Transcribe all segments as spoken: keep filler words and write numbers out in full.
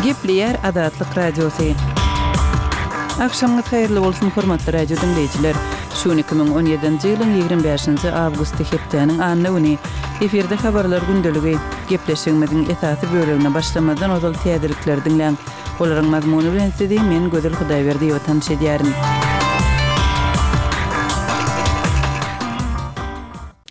Gepleýär Azatlyk Radiosy. Agşamyňyz haýyrly bolsun, hormatly radio diňleýjiler. Şu gün iki müň on ýedinji ýylyň ýigrimi bäşinji awgusty hepdäniň anna güni. Efirde habarlar gündeligi. Gepleşigimiziň esasy bölegine başlamazdan ozal täzelikleri diňläň. Olaryň mazmuny bilen sizi men Gözel Hudaýberdiýewa tanyş edýärin.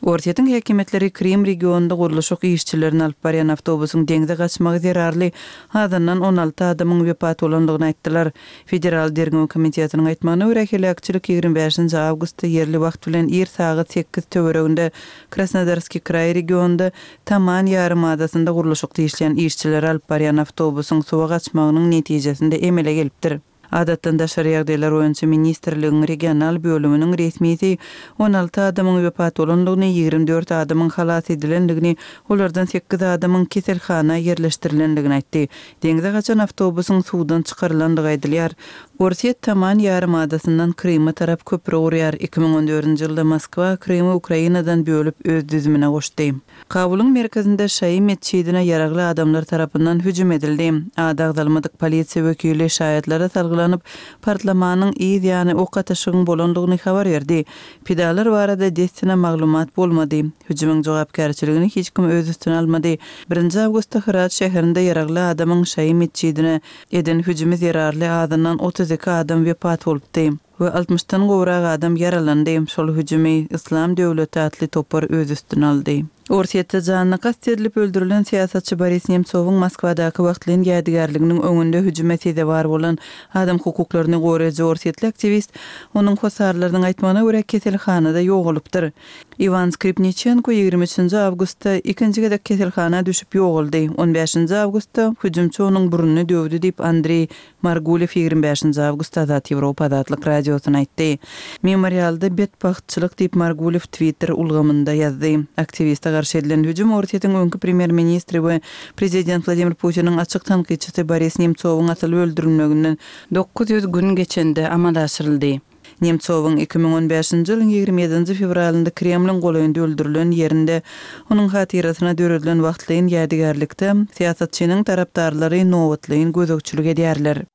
Orsýetiň häkimiýetleri Krym regionynda gurluşyk işçilerini alyp barýan awtobusyň deňze gaçmagy zerarly azyndan on alty adamyň wepat bolandygyny aýtdylar. Federal derňew komitetiniň aýtmagyna görä, heläkçilik ýigrimi bäşinji awgustda ýerli wagt bilen ir sagat sekiz töwereginde Krasnodarskiý kraý regionynda Taman ýarymadasynda gurluşykda işleýän işçileri alyp barýan awtobusyň suwa gaçmagynyň netijesinde emele gelipdir. Adatdan daşary ýagdaýlar boýunça ministrligiň regional bölüminiň resmisi on alty adamyň wepat bolandygyny, ýigrimi dört adamyň halas edilendigini, olardan sekiz adamyň keselhana ýerleşdirilendigini aýtdy. Deňze gaçan awtobusyň suwdan çykarylandygy aýdylýar. Orsýet Taman ýarymadasyndan Kryma tarap köpri gurýar. Iki müň on dördünji ýylda Moskwa Krymy Ukrainadan bölüp öz düzümine goşdy. Kabulyň merkezinde şaýy metjidine ýaragly adamlar tarapyndan hüjüm edildi. Ady agzalmadyk polisiýa wekili şaýatlara salgylanyp, partlamanyň yz ýany ok atyşygyň bolandygyny habar berdi. Pidalar barada dessine maglumat bolmady. Hüjümiň jogapkärçiligini hiç kim öz üstüne almady. Birinji awgustda Hyrat şäherinde ýaragly adamyň şaýy metjidine eden hüjümi zerarly azyndan otuz iki adam wepat bolupdy we altmyşdan gowrak adam ýaralandy. Şol hüjümi Yslam döwleti atly topar öz üstüne aldy. Orsýetde janyna kast edilip öldürilen syýasatçy Boris Nemtsowyň Moskwadaky wagtlaýyn ýadygärliginiň öňünde hüjüme sezewar bolan adam hukuklaryny goraýjy orsýetli aktiwist onuň hossarlarynyň aýtmagyna görä keselhanada ýogalypdyr. Iwan Skripniçenko ýigrimi üçünji awgustda ikinji gezek keselhana düşüp ýogaldy. On bäşinji awgustda hüjümçi onuň burnuny döwdi diýip Andreý Margulew ýigrimi bäşinji awgustda Azat Ýewropa Azatlyk Radiosyna aýtdy. Memorialda betbagtçylyk diýip Margulew Twitter ulgamynda ýazdy. Aktiwiste garşy edilen hüjüm Orsýetiň öňki premýer-ministri we prezident Wladimir Putiniň açyk tankytçysy Boris Nemtsowyň asylyp öldürilmeginden dokuz ýüz gün geçende amala aşyryldy. Nemtsowyň iki müň on bäşinji ýylyň ýigrimi ýedinji fewralynda Kremliň golaýynda öldürilen ýerinde onuň hatyrasyna döredilen wagtlaýyn ýadygärlikde syýasatçynyň tarapdarlary nobatlaýyn gözegçilik edýärler.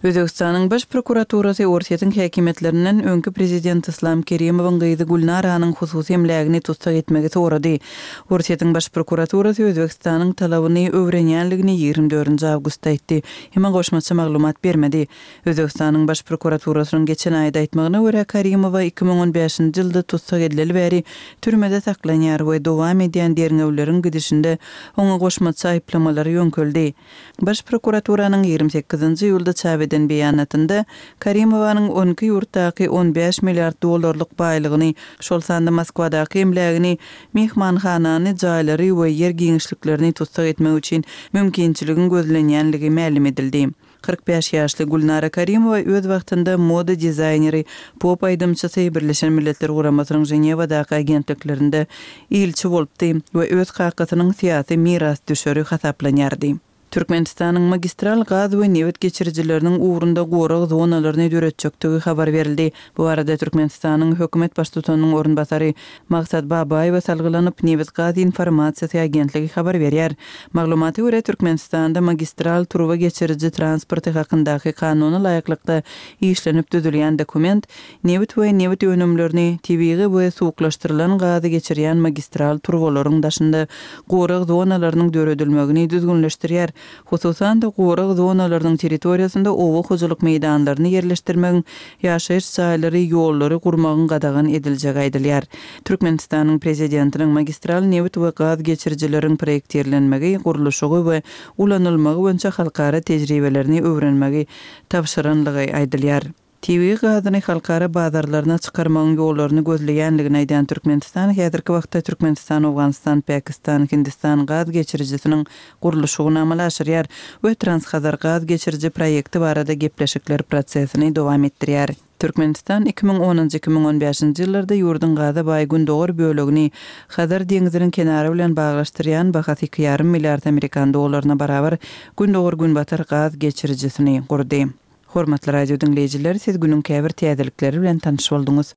Özbekistanyň baş prokuraturasy Orsýetiň häkimiýetlerinden öňki prezident Islam Kerimowyň gyzy Gülnaranyň hususy emlägini tussag etmegi sorady. Orsýetiň baş prokuraturasy Özbekistanyň talabyny öwrenýänligini ýigrimi dördünji awgustda aýtdy. Emma goşmaça maglumat bermedi. Özbekistanyň baş prokuraturasynyň geçen aýda aýtmagyna görä Karimowa iki müň on bäşinji ýylda tussag edileli bäri türmede saklanýar we dowam edýän derňewleriň gidişinde oňa goşmaça aýyplamalar ýöňkeldi. Baş prokuraturanyň ýigrimi sekizinji iýulda çap eden beýanatynda Karimowanyň on iki ýurtdaky on bäş milliard dollarlyk baýlygyny, şol sanda Moskwadaky emlägini, mehmanhanany, jaýlary we ýer giňişliklerini tussag etmek üçin mümkinçiligiň gözlenýänligi mälim edildi. Kyrk bäş ýaşly Gülnara Karimowa öz wagtynda moda dizaýneri, pop aýdymçysy, Birleşen Milletler Guramasynyň Ženewadaky agentliklerinde ilçi bolupdy we öz kakasynyň syýasy mirasdüşeri hasaplanýardy. Türkmenistanyň magistral gaz we nebit geçirijileriniň ugrunda gorag zonalaryny döretjekdigi habar berildi. Bu barada Türkmenistanyň hökümet baştutanynyň orunbasary Maksat Babaýewa salgylanyp, Nebit gaz informasiýasy agentligi habar berýär. Maglumata görä, Türkmenistanda magistral turba geçiriji transporty hakyndaky kanuna laýyklykda işlenip düzülýän dokument nebit we nebit önümlerini, tebigy we suwuklaşdyrylan gazy geçirýän magistral turbalaryň daşynda gorag zonalarynyň döredilmegini düzgünleşdirýär. Hususan-da, gorag zonalarynyň territoriýasynda oba hojalyk meýdanlaryny ýerleşdirmegiň, ýaşaýyş jaýlary, ýollary gurmagyň gadagan ediljegi aýdylýar. Türkmenistanyň prezidentiniň magistral nebit we gaz geçirijileriň proýektirlenmegi, gurluşygy we ulanylmagy boýunça halkara tejribelerini öwrenmegi tabşyranlygy aýdylýar. Tebigy gazyny halkara bazarlaryna çykarmagyň ýollaryny gözleýänligini aýdan Türkmenistan häzirki wagtda Türkmenistan, Owganystan, Pakistan, Hindistan gaz geçirijisiniň gurluşygyny amala aşyrýar we Transhazar gaz geçiriji proýekti barada gepleşikler prosesini dowam etdirýär. Türkmenistan iki müň onunjy, iki müň on bäşinji ýyllarda ýurduň gaza baý gündogar bölegini Hazar deňziniň kenary bilen baglaşdyrýan bahasy iki ýarym milliard amerikan dollaryna barabar gündogar-günbatar gaz geçirijisini gurdy. Hormatly radio diňleýjiler, siz günüň käbir täzelikleri bilen tanyş bolduňyz.